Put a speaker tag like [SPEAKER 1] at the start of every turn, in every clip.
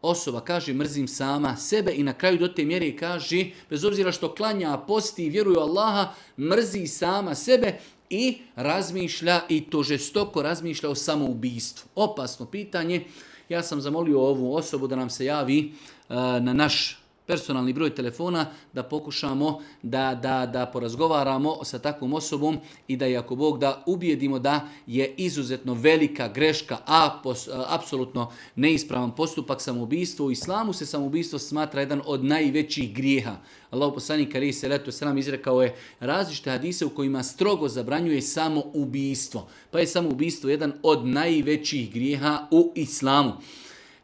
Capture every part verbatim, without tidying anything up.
[SPEAKER 1] osoba kaže mrzim sama sebe i na kraju do te mjere kaže, bez obzira što klanja, posti i vjeruje u Allaha, mrzi sama sebe i razmišlja, i to žestoko razmišlja o samoubistvu. Opasno pitanje. Ja sam zamolio ovu osobu da nam se javi uh, na naš personalni broj telefona, da pokušamo da, da, da porazgovaramo sa takvom osobom i da, ako Bog da, ubijedimo da je izuzetno velika greška, a pos, a, apsolutno neispravan postupak samoubistvo. U islamu se samoubistvo smatra jedan od najvećih grijeha. Allahu poslanik alejhi selatu vesselam izrekao je različite hadise u kojima strogo zabranjuje samoubistvo. Pa je samoubistvo jedan od najvećih grijeha u islamu.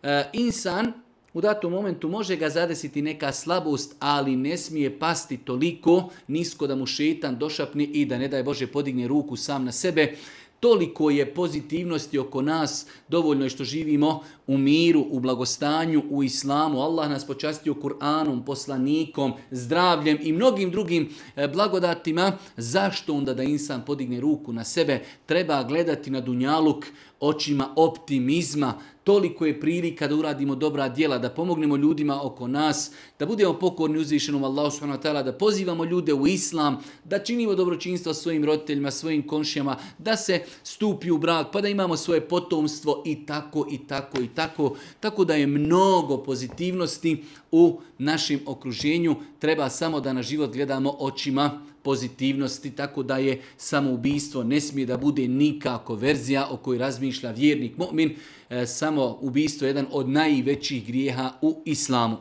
[SPEAKER 1] E, insan u datom momentu može ga zadesiti neka slabost, ali ne smije pasti toliko nisko da mu šeitan došapne i da, ne daj Bože, podigne ruku sam na sebe. Toliko je pozitivnosti oko nas, dovoljno je što živimo u miru, u blagostanju, u islamu. Allah nas počastio Kur'anom, poslanikom, zdravljem i mnogim drugim blagodatima. Zašto onda da insan podigne ruku na sebe? Treba gledati na dunjaluk očima optimizma. Toliko je prilika da uradimo dobra djela, da pomognemo ljudima oko nas, da budemo pokorni uzvišenom Allahu subhanahu wa ta'ala, da pozivamo ljude u islam, da činimo dobročinstvo svojim roditeljima, svojim komšijama, da se stupi u brak, pa da imamo svoje potomstvo i tako i tako i tako. Tako da je mnogo pozitivnosti u našem okruženju. Treba samo da na život gledamo očima pozitivnosti, tako da je samoubistvo ne smije da bude nikako verzija o kojoj razmišlja vjernik mu'min. E, samo ubistvo je jedan od najvećih grijeha u islamu.